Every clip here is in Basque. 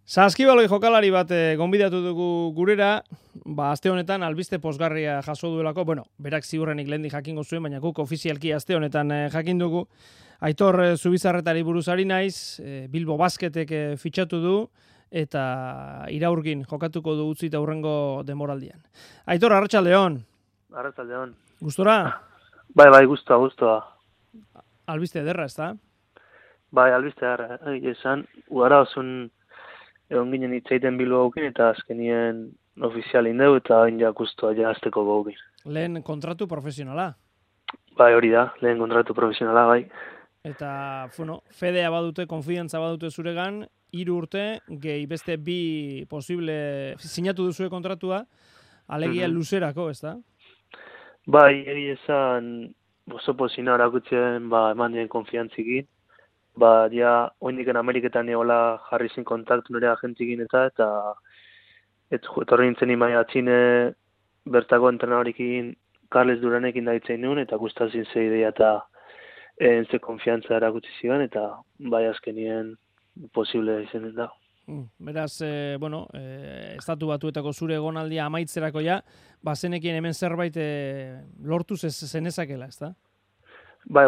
Saskibaloi jokalari bat gonbidatu dugu gurera, aste honetan albiste pozgarria jaso duelako, berak ziurrenik lehendik jakingo zuen, baina guk ofizialki aste honetan jakin dugu. Aitor Zubizarretari buruzari naiz, Bilbo Basketek fitxatu du, eta iraurgin jokatuko du utzita hurrengo denboraldian. Aitor, arratsaldeon. Arratsaldeon. Gustora? Bai, gustoa. Albiste ederra, ezta? Bai, albiste ederra. Esan, udara osun egon ginen itzaiten Bilbo gaukin, eta azkenien ofizial indeu, eta hain guztua azteko gaukin. Lehen kontratu profesionala? Bai, hori da, lehen kontratu profesionala, bai. Eta, fedea badute, konfidantza badute zuregan, 3 urte, gehi beste 2 posible sinatu duzue kontratua, alegia luzerako, ezta? Bai, esan, oso pozina erakutzen, eman dien konfiantzikin. Oindiken Ameriketan egola jarri zin kontaktu nire agentzikin eta etorri nintzen imai atxine bertako entrenadorikin Carles Duranekin daitzen nuen, eta gustazin ze ideia eta ze konfiantza erakutsi zigan, eta bai azkenien posible izanen da. Beraz, estatu batuetako zure egonaldia amaitzerako ja, zenekien hemen zerbait lortu zenezakela, ezta? Bai,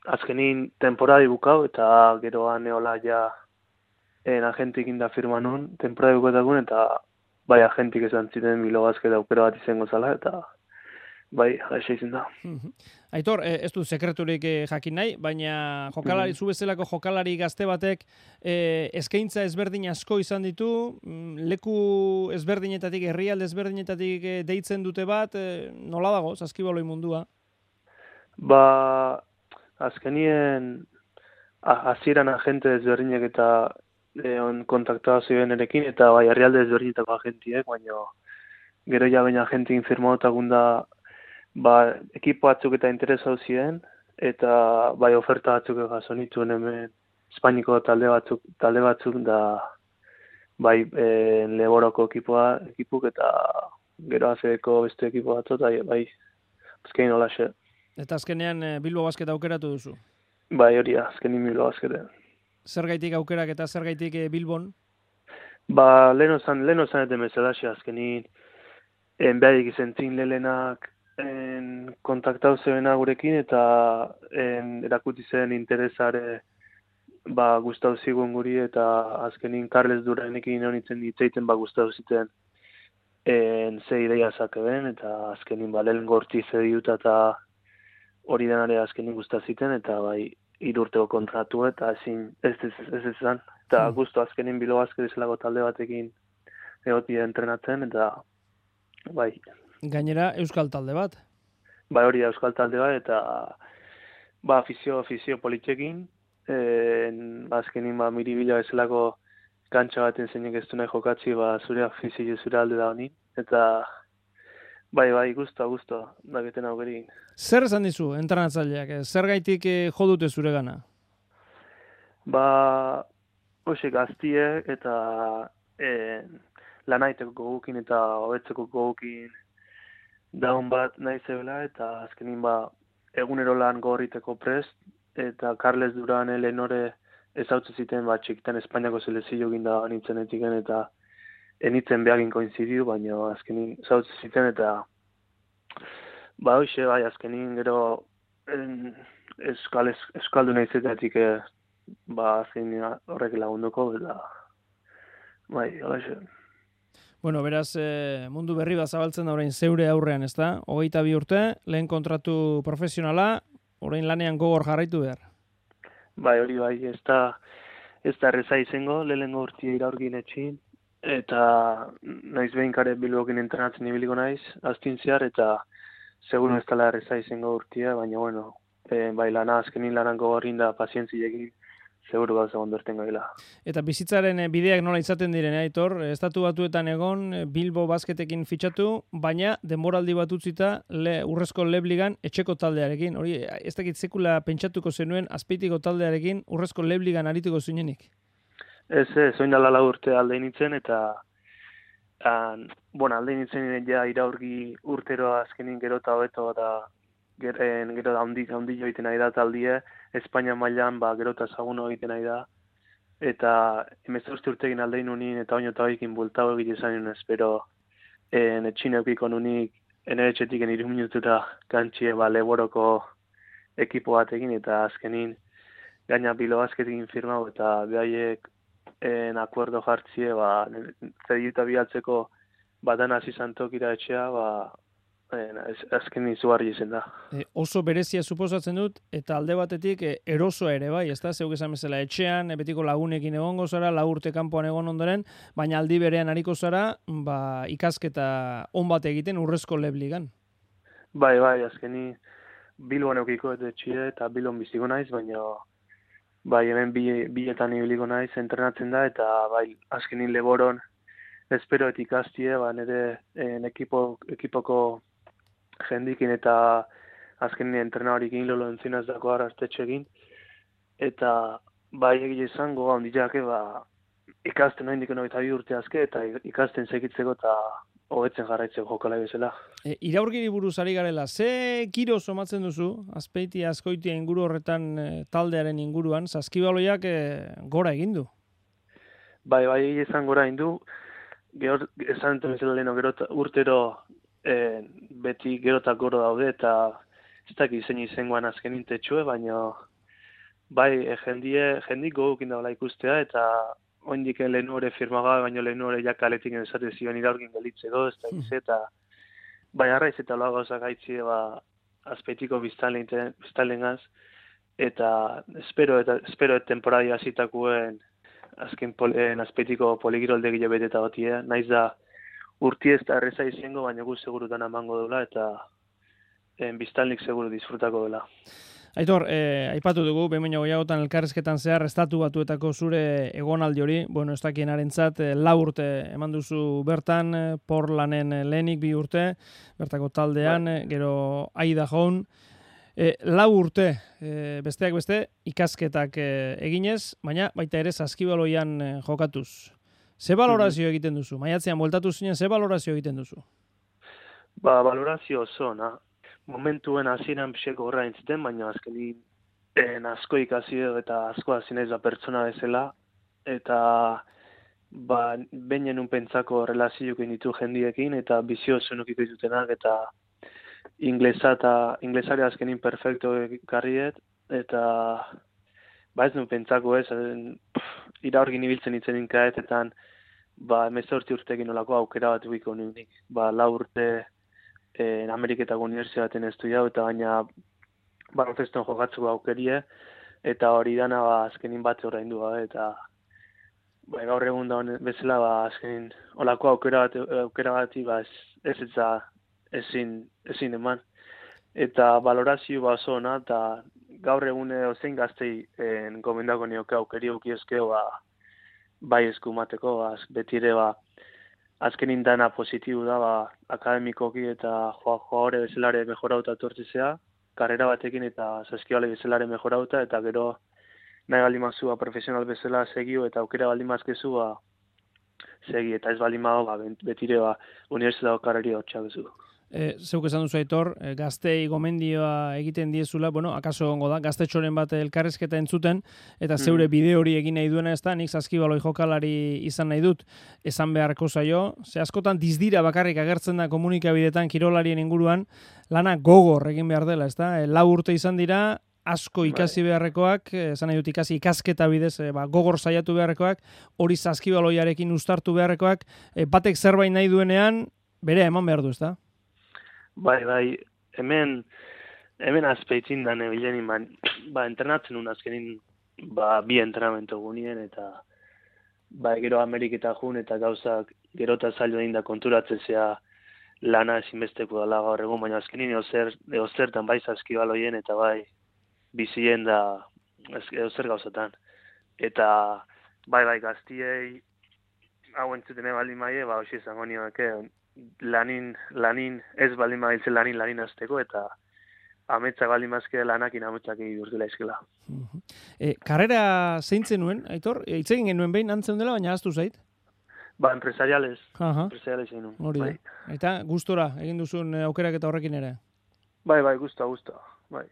azkenin temporadi bukau, eta geroan eola ja agentikin da firma nun, temporadi bukatakun, eta bai agentik esan ziren Bilbo Basket aukera bat izango zala, eta bai, jaixa izan da. Aitor, ez du sekreturik jakin nahi, baina jokalari, zu bezalako jokalari gazte batek eskaintza ezberdin asko izan ditu, leku ezberdinetatik, herrialde ezberdinetatik deitzen dute bat, nola dago, Saskibaloi mundua? Azkenien hasieran agente ezberdinek eta kontaktua ziren erekin, eta bai herrialde ezberdinetako agentiek, baina gero ja baina agentin firmaotakun da ekipo batzuk eta interesau ziren, eta bai oferta batzuk jaso nituen hemen Espainiko talde batzuk da bai Leboroko ekipuk eta gero azeko beste ekipo batzuk, eta bai azkenin holaxe. Eta azkenean Bilbo Basket aukeratu duzu? Bai, hori da, azkenin Bilbo Basketean. Zergaitik aukerak eta zergaitik Bilbon? Leheno zan eten bezalaxe, azkenin behadik izentzin lehenak kontaktau zebena gurekin, eta erakuti zen interesare gustau zigun guri, eta azkenin Carles Duranekin honitzen ditzeiten gustau ziten ze ideia zakeben, eta azkenin lehen gorti zediuta eta hori denare azkenin gustaziten, eta bai 3 urteko kontratu, eta ez izan. Eta guztu azkenin Bilbo Basket izalako talde batekin egoti entrenatzen, eta bai. Gainera, euskal talde bat? Bai, hori da euskal talde bat, eta afizio politxekin, azkenin miribila bezalako kantxa baten zeinek ez du nahi jokatzi, zure afizio zure alde da honi, eta bai, guztua, daketen aukerin. Zer esan dizu, entrenatzaileak? Zer gaitik jo dute zure gana? Hoxe gaztiek eta lanaiteko gogukin eta hobetzeko gogukin daun bat nahi zebela, eta azkenin egunero lan gorriteko prest, eta Carles Durane lehenore ezautze ziten txikitan Espainiako selezio ginda nintzen etiken, eta enitzen behagin koinzidiu, baina azkenin ezautze ziten, eta hoxe, azkenin gero eskaldu nahi zetetik azkenin horrek lagunduko, eta hoxe. Beraz, mundu berri bat zabaltzen da orain zeure aurrean, ezta? 22 urte, lehen kontratu profesionala, orain lanean gogor jarraitu behar. Hori ez da erreza izango, lehenengo urtia iraurgin etxin, eta naiz behin kare Bilbokin entrenatzen ibiliko naiz, aztin zehar, eta seguro ez dela erreza izango urtia, baina azkenin lanan gogorrin da pazientziekin, seguro gauza ondorten gaila. Eta bizitzaren bideak nola izaten diren, Aitor? Estatu Batuetan egon, Bilbo Basketekin fitxatu, baina denboraldi bat utzita urrezko Lebligan etxeko taldearekin. Hori, ez dakit sekula pentsatuko zenuen azpeitiko taldearekin urrezko Lebligan arituko zinenik? Ez, oin dala 4 urte alde nintzen, eta alde nintzen ja iraurgi urtero azkenin gero eta hobeto, eta gero handi joiten nahi da taldie, Espainia mailan gero eta ezaguno egiten nahi da, eta 18 urtekin aldein unin, eta oino eta hoikin bultago egite izan espero etxin eukiko nunik, etxetik 3 minutura kantxie leboroko ekipo batekin, eta azkenin gaina Bilo Basketekin firmau, eta behaiek akuerdo jartzie, zedita bialtzeko batan hasi zantokira etxea, azken izugarri izen da. Oso berezia suposatzen dut, eta alde batetik erosoa ere bai, ez da? Zeuk esan bezala etxean, betiko lagunekin egongo zara, 4 urte kanpoan egon ondoren, baina aldi berean ariko zara, ikasketa on bat egiten urrezko lebligan. Bai, azkeni Bilbon eukiko etxie eta Bilbon biziko naiz, baina bai, hemen bietan ibiliko naiz, entrenatzen da, eta bai, azkenin Leboron espero ikastie, nire ekipoko jendikin eta azkenin entrenadorikin lolo entzinaz dako arrastetxekin, eta bai egile izango handiak ikasten noin dikeno eta 2 urte azke, eta ikasten segitzeko eta hobetzen jarraitzeko jokala bezala. Iraurgiri buruz ari garela, ze giro somatzen duzu, Azpeitia, Azkoitia inguru horretan taldearen inguruan, saskibaloiak gora egin du? Bai, egile izan gora egin du, esan bezala leheno urtero beti gerotak goro daude, eta ez dakit zein izangoan azken intetxue, baina bai, jendik gogukin daula ikustea, eta oindik lehen hori firmaga, baina lehen hori jakaletik esate zion iraurgin gelitzeko, ez da eta bai, arraiz eta loa gauzak gaitzi Azpeitiko biztanlengaz, eta espero temporadi hasitakoen azken Azpeitiko poligirolde beteta batia, naiz da urti ez da erreza izango, baina gu segurutan amango dela, eta biztanlik seguru disfrutako dela. Aitor, aipatu dugu, behin goiagotan elkarrezketan zehar, estatu batuetako zure egonaldi hori, ez dakien arentzat, 4 urte eman duzu bertan, Portlanen lehenik 2 urte, bertako taldean, gero Aida Jaun, 4 urte, besteak beste, ikasketak eginez, baina baita ere Saskibaloian jokatuz. Ze balorazio egiten duzu? Maiatzean bueltatu zinen, ze balorazio egiten duzu? Balorazio oso, momentuen hasieran pixeko horra entziten, baina azkenin asko ikasi eta asko hasi naiz pertsona bezala, eta behin un pentsako relazioekin ditu jendiekin, eta bizio zenukiko ditutenak, eta inglesare azkenin perfecto garriet, eta ez nuen pentsako iraurgin ibiltzen itzen inkaetetan, 18 urtekin olako aukera bat guiko nunik. 4 urte Ameriketako unibertsitatean estudiau, eta baina balonzeston jokatzeko aukerie, eta hori dana azkenin bat oraindu gabe, eta gaur egun da bezala azkenin olako aukera bati ezin eman. Eta balorazio oso ona, eta gaur egun ozein gaztei gomendako nioke aukeri eukiezkeo bai eskumateko, betire azkenin dana positibo da, akademikoki eta joagore bezalare mejorauta etortzizea, karrera batekin eta Saskibaloia bezalare mejorauta, eta gero nahi baldimazua profesional bezala segio, eta aukera baldimazkezu segi, eta ez baldimago betire unibertsitateko karrera hotxak bezu. Zeuk esan duzu Aitor, gaztei gomendioa egiten diezula, akaso gongo da, gaztetxoren bat elkarrezketa entzuten, eta zeure bide hori egin nahi duena ez da, nik Saskibaloi jokalari izan nahi dut, esan beharko zaio, ze askotan dizdira bakarrik agertzen da komunikabidetan kirolarien inguruan, lana gogor egin behar dela, ez da, 4 urte izan dira, asko ikasi beharrekoak, esan nahi dut ikasketa bidez, gogor saiatu beharrekoak, hori Saskibaloiarekin uztartu beharrekoak, batek zerbait nahi duenean, bere eman behar du, ez da? Bai, hemen Azpeitzin da nebilenin, entrenatzen un azkenin, 2 entrenamentu gunien, eta gero Ameriketa jun, eta gauzak gerota zailo egin da konturatzen zea lana ezinbesteko dela gaur egun, baina azkenin eozertan bai Saskibaloien, eta bai bizien da eozer gauzatan. Eta bai gaztiei hau entzuten baldin maie, hoxe izango nioak, lanin ez baldin mailtzen lanin azteko, eta ametsak baldin mazke lanakin ametsak egidurtela izkela. Karrera zeintzen nuen, Aitor? Itzegin genuen behin antzen dela, baina aztu zait? Empresariales egin nuen. Hori da. Eta gustora egin duzun aukerak eta horrekin ere? Bai, guztua. Bai.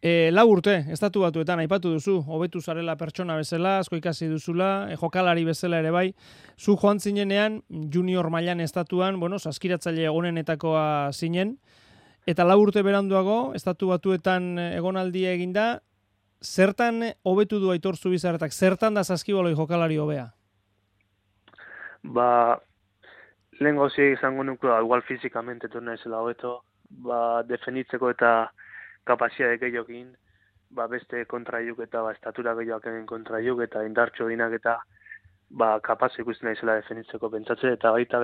Lau urte, estatu batuetan aipatu duzu, hobetu zarela pertsona bezala, asko ikasi duzula, jokalari bezala ere bai. Zu joan zinenean, junior mailan estatuan, saskiratzaile egonenetakoa zinen, eta 4 urte beranduago, estatu batuetan egonaldia eginda, zertan hobetu du Aitor Zubizarretak, zertan da saskibaloi jokalari hobea? Lehen gauzi izango nuke, igual fizikamente turna ezela hobeto, definitzeko eta kapazitate gehiokin, beste kontraiuk eta estatura gehioak egin kontraiuk eta indartxo dinak eta kapaz ikusten naizela definitzeko pentsatzen, eta baita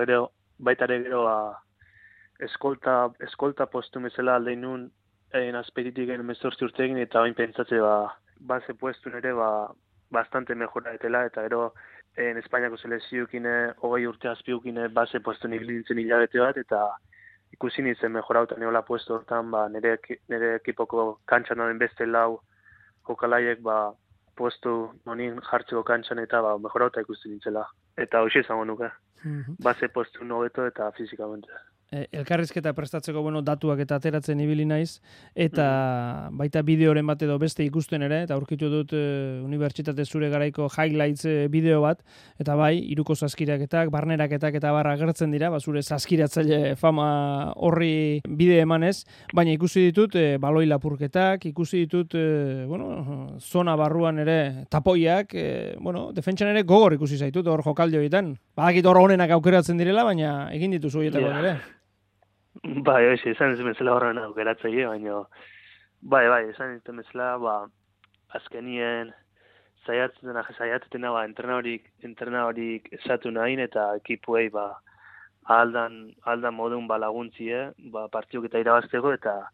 ere gero eskolta postu bezala aldein nun azperitik egin 18 urte egin, eta bain pentsatze base puestun ere bastante mejora etela, eta gero Espainiako selezioukine 20 urte azpiukine base puestu nibilintzen hilabete bat, eta ikusi nintzen mejorauta neola puesto hortan, nire ekipoko kantxan den beste 4 jokalaiek puestu nonin jartzeko kantxan eta mejorauta ikusi nintzela. Eta hoxe izango nuke. Base puestu nobeto eta fizikamente. Elkarrizketa prestatzeko datuak eta ateratzen ibili naiz, eta baita bideoren bat edo beste ikusten ere, eta aurkitu dut unibertsitate zure garaiko highlights bideo bat, eta bai, iruko saskiraketak, barneraketak eta barra agertzen dira, zure saskiratzaile fama horri bide emanez, baina ikusi ditut baloi lapurketak, ikusi ditut zona barruan ere tapoiak, defentsan ere gogor ikusi zaitut hor jokaldi horietan. Badakit hor honenak aukeratzen direla, baina egin dituzu horietakoak ere. Hoxe, izan ez bezala horren aukeratzaile, baina izan ez bezala, azkenien saiatzena entrenadorik esatu nahin, eta ekipuei aldan modun laguntzie, partiuk eta irabazteko, eta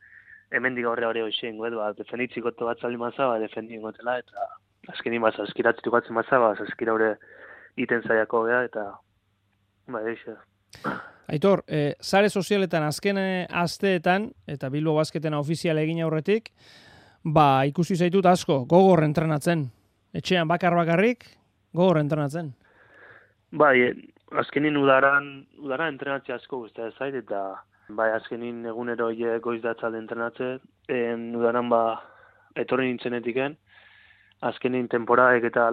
hemendik aurre hori hoxe ingoet, defenditziko bat zaldi maza, defendi ingotela, eta azkenin saskiratzitu batzen maza, saskira hori iten zaiako geha, eta hoxe. Aitor, sare sozialetan azken asteetan, eta Bilbo Basketena ofizial egin aurretik, ikusi zaitut asko, gogor entrenatzen. Etxean bakarrik, gogor entrenatzen. Azkenin udaran entrenatzea asko guztia zait, eta azkenin egunero goiz datzalde entrenatzen, udaran etorri nintzenetiken, azkenin temporadek eta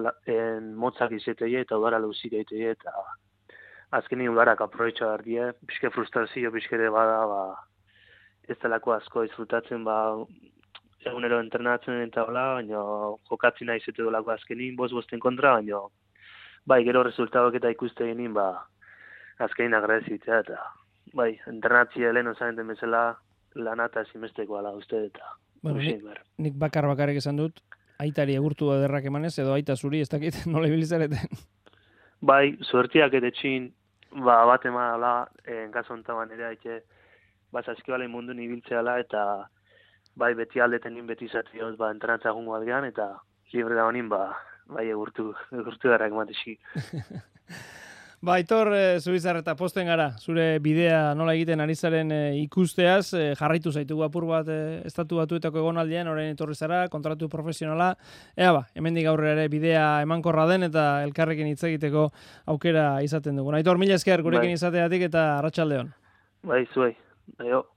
motzak izetei eta udara luzik eitei, eta azkenin udarak aproveitxa dardie, pixke frustrazio, pixke ere ez delako asko disfrutatzen, egunero entrenatzen eta baina jokatzen nahi zete dolako azkenin, bosten kontra, baina gero resultadoak eta ikuste genin, azkenin agradezitzea, eta entrenatzia lehen osanen bezala lanata ezinbesteko ala uste, eta nik bakarrik esan dut, aitari egurtu ederrak emanez, edo aita zuri, ez dakit, nola ibilizareten? Suertiak etetxin, bat emala, gazontaban ere haitxe, saskibalen mundu nibiltzeala, eta beti aldeten nin beti zatioz, entrenatza gungo aldean, eta libre da honin, egurtu darrak matexi. Aitor Zubizarreta, posten gara, zure bidea nola egiten ari zaren ikusteaz, jarraitu zaitugu apur bat estatu batuetako egonaldian, orain etorri zara, kontratu profesionala, hemendik aurrera ere bidea emankorra den eta elkarrekin hitz egiteko aukera izaten dugu. Aitor, mila esker gurekin izateatik eta arratsalde on. Zuei, aio.